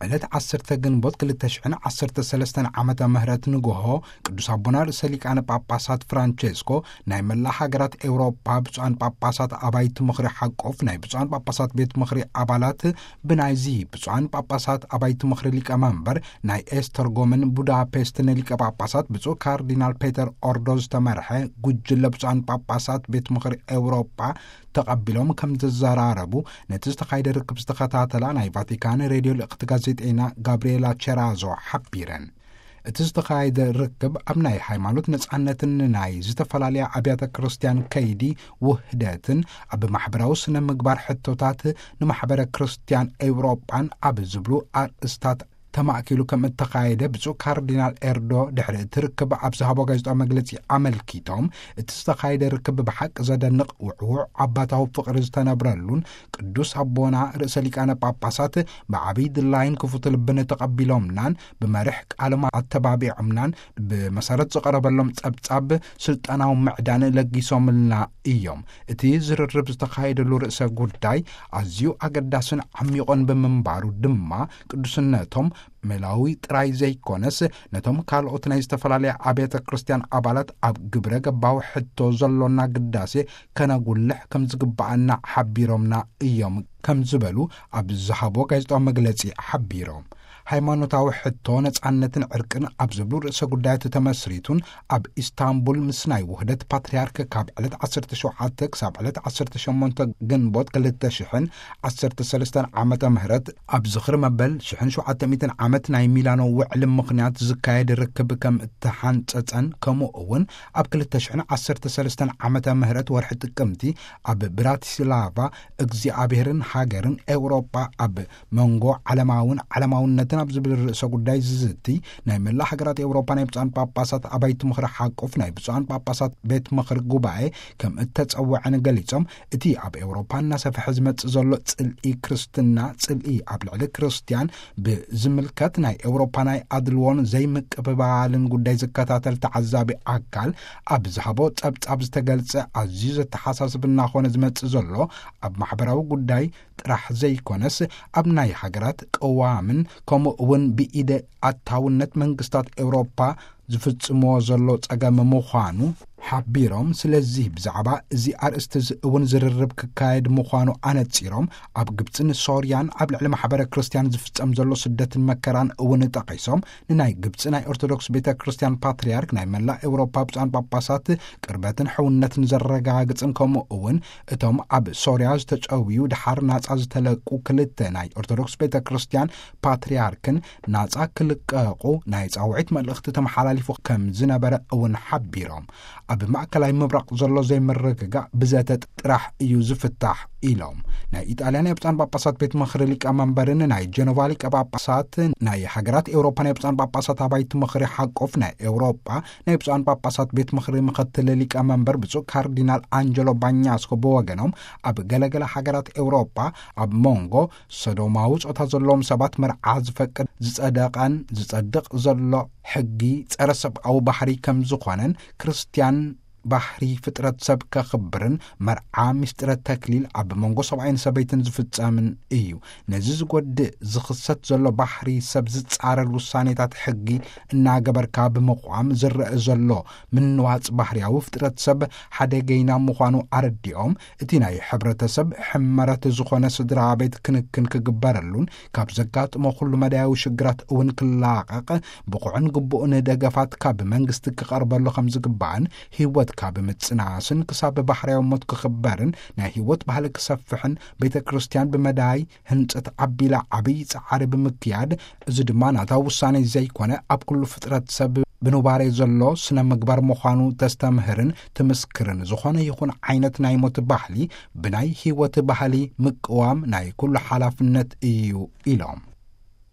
ዕለት ዓሰርተ ግንቦት ክልተ ሽሕን ዓሰርተ ሰለስተን ዓመተ ምህረት ንግሆ፣ ቅዱስ ኣቦና ርእሰ ሊቃነ ጳጳሳት ፍራንቼስኮ ናይ መላእ ሃገራት ኤውሮጳ ብፁዓን ጳጳሳት ኣባይቲ ምኽሪ ሓቆፍ፣ ናይ ብፁዓን ጳጳሳት ቤት ምኽሪ ኣባላት፣ ብናይዚ ብፁዓን ጳጳሳት ኣባይቲ ምኽሪ ሊቀመንበር ናይ ኤስተርጎምን ቡዳፔስትን ሊቀ ጳጳሳት ብፁዕ ካርዲናል ፔተር ኦርዶ ዝተመርሐ ጉጅለ ብፁዓን ጳጳሳት ቤት ምኽሪ ኤውሮጳ ተቐቢሎም ከም ዘዘራረቡ፣ ነቲ ዝተኻየደ ርክብ ዝተኸታተላ ናይ ቫቲካን ሬድዮ ልእኽቲ ጋዜጠኛ ጋብርኤላ ቸራዞ ሓቢረን። እቲ ዝተኻየደ ርክብ ኣብ ናይ ሃይማኖት ነጻነትን ናይ ዝተፈላለያ ኣብያተ ክርስቲያን ከይዲ ውህደትን፣ ኣብ ማሕበራዊ ስነ ምግባር ሕቶታት ንማሕበረ ክርስቲያን ኤውሮጳን ኣብ ዝብሉ ኣርእስታት ተማእኪሉ ከም እተኻየደ ብፁዕ ካርዲናል ኤርዶ ድሕሪ እቲ ርክብ ኣብ ዝሃቦ ጋዜጣዊ መግለጺ ኣመልኪቶም፣ እቲ ዝተኻየደ ርክብ ብሓቂ ዘደንቕ፣ ውዕዉዕ ኣባታዊ ፍቕሪ ዝተነብረሉን፣ ቅዱስ ኣቦና ርእሰ ሊቃነ ጳጳሳት ብዓብይ ድላይን ክፉት ልብን ተቐቢሎምናን ብመርሕ ቃሎም ኣተባቢዖምናን ብመሰረት ዝቐረበሎም ጸብጻብ ስልጣናዊ ምዕዳን ለጊሶምልና እዮም። እቲ ዝርርብ ዝተኻየደሉ ርእሰ ጉዳይ ኣዝዩ ኣገዳስን ዓሚቑን ብምንባሩ ድማ ቅዱስነቶም ሜላዊ ጥራይ ዘይኮነስ፣ ነቶም ካልኦት ናይ ዝተፈላለያ ኣብያተ ክርስቲያን ኣባላት ኣብ ግብረ ገባዊ ሕቶ ዘሎና ግዳሴ ከነጉልሕ ከም ዝግባኣና ሓቢሮምና እዮም ከም ዝበሉ ኣብ ዝሃቦ ጋዜጣዊ መግለጺ ሓቢሮም። ሃይማኖታዊ ሕቶ፣ ነጻነትን ዕርቅን ኣብ ዝብሉ ርእሰ ጉዳያት ተመስሪቱን ኣብ ኢስታንቡል ምስ ናይ ውህደት ፓትርያርክ ካብ ዕለት ዓሰርተ ሸውዓተ ክሳብ ዕለት ዓሰርተ ሸሞንተ ግንቦት ክልተ ሽሕን ዓሰርተ ሰለስተን ዓመተ ምህረት ኣብ ዝኽሪ መበል ሽሕን ሸውዓተ ሚእትን ዓመት ናይ ሚላኖ ውዕሊ ምኽንያት ዝካየድ ርክብ ከም እተሓንጸጸን፣ ከምኡ እውን ኣብ ክልተ ሽሕን ዓሰርተ ሰለስተን ዓመተ ምህረት ወርሒ ጥቅምቲ ኣብ ብራቲስላቫ እግዚኣብሔርን ሃገርን ኤውሮጳ ኣብ መንጎ ዓለማውን ዓለማውነትን ኣብ ዝብል ርእሰ ጉዳይ ዝዝቲ ናይ መላእ ሃገራት ኤውሮጳ ናይ ብፁዓን ጳጳሳት ኣባይቲ ምኽሪ ሓቁፍ ናይ ብፁዓን ጳጳሳት ቤት ምኽሪ ጉባኤ ከም እተጸውዐን ገሊጾም፣ እቲ ኣብ ኤውሮጳ እናሰፍሐ ዝመጽእ ዘሎ ጽልኢ ክርስትና፣ ጽልኢ ኣብ ልዕሊ ክርስትያን ብዝምልከት ናይ ኤውሮጳ ናይ ኣድልዎን ዘይምቅብባልን ጉዳይ ዝከታተል ተዓዛቢ ኣካል ኣብ ዝሃቦ ጸብጻብ ዝተገልጸ ኣዝዩ ዘተሓሳስብ እናኾነ ዝመጽእ ዘሎ ኣብ ማሕበራዊ ጉዳይ ጥራሕ ዘይኮነስ፣ ኣብ ናይ ሃገራት ቅዋምን ከምኡ እውን ብኢደ ኣታውነት መንግስታት ኤውሮጳ ዝፍጽምዎ ዘሎ ጸገም ምዃኑ ሓቢሮም፣ ስለዚ ብዛዕባ እዚ ኣርእስቲ እዚ እውን ዝርርብ ክካየድ ምዃኑ ኣነጺሮም፣ ኣብ ግብጽን ሶርያን ኣብ ልዕሊ ማሕበረ ክርስትያን ዝፍጸም ዘሎ ስደትን መከራን እውን ጠቒሶም፣ ንናይ ግብጺ ናይ ኦርቶዶክስ ቤተ ክርስትያን ፓትርያርክ ናይ መላእ ኤውሮፓ ብፁዓን ጳጳሳት ቅርበትን ሕውነትን ዘረጋግጽን፣ ከምኡ እውን እቶም ኣብ ሶርያ ዝተጨውዩ ድሓር ናጻ ዝተለቁ ክልተ ናይ ኦርቶዶክስ ቤተ ክርስትያን ፓትርያርክን ናጻ ክልቀቑ ናይ ጻውዒት መልእኽቲ ተመሓላሊፉ ከም ዝነበረ እውን ሓቢሮም፣ ኣብ ማእከላይ ምብራቕ ዘሎ ዘይምርግጋእ ብዘተ ጥራሕ እዩ ዝፍታሕ ኢሎም። ናይ ኢጣልያ ናይ ብፁዓን ጳጳሳት ቤት ምኽሪ ሊቀ መንበርን ናይ ጀኖቫ ሊቀ ጳጳሳት፣ ናይ ሃገራት ኤውሮፓ ናይ ብፁዓን ጳጳሳት ኣባይቲ ምኽሪ ሓቆፍ ናይ ኤውሮጳ ናይ ብፁዓን ጳጳሳት ቤት ምኽሪ ምኽትል ሊቀ መንበር ብፁዕ ካርዲናል ኣንጀሎ ባኛስኮ ብወገኖም፣ ኣብ ገለገለ ሃገራት ኤውሮጳ ኣብ መንጎ ሰዶማዊ ጾታ ዘለዎም ሰባት መርዓ ዝፈቅድ ዝጸደቐን ዝጸድቕ ዘሎ ሕጊ ጸረ ሰብኣዊ ባህሪ ከም ዝኾነን፣ ክርስትያን ባህሪ ፍጥረት ሰብ ከኽብርን መርዓ ምስጢረ ተክሊል ኣብ መንጎ ሰብኣይን ሰበይትን ዝፍጸምን እዩ። ነዚ ዝጎድእ ዝኽሰት ዘሎ ባህሪ ሰብ ዝጻረር ውሳኔታት ሕጊ እናገበርካ ብምቕዋም ዝረአ ዘሎ ምንዋጽ ባህርያዊ ፍጥረት ሰብ ሓደገይና ምዃኑ ኣረዲኦም፣ እቲ ናይ ሕብረተሰብ ሕመረት ዝኾነ ስድራ ቤት ክንክን ክግበረሉን ካብ ዘጋጥሞ ኩሉ መዳያዊ ሽግራት እውን ክላቐቕ ብቑዕን ግቡእን ደገፋት ካብ መንግስቲ ክቐርበሉ ከም ዝግባእን፣ ህይወት ካብ ምጽናስን ክሳብ ባህርያዊ ሞት ክኽበርን ናይ ህይወት ባህሊ ክሰፍሕን ቤተ ክርስቲያን ብመዳይ ህንጸት ኣቢላ ዓብዪ ጻዕሪ ብምክያድ፣ እዚ ድማ ናታ ውሳኔ ዘይኮነ ኣብ ኩሉ ፍጥረት ሰብ ብኑባሬ ዘሎ ስነ ምግባር ምዃኑ ተስተምህርን ትምስክርን፣ ዝኾነ ይኹን ዓይነት ናይ ሞት ባህሊ ብናይ ህይወት ባህሊ ምቅዋም ናይ ኩሉ ሓላፍነት እዩ ኢሎም።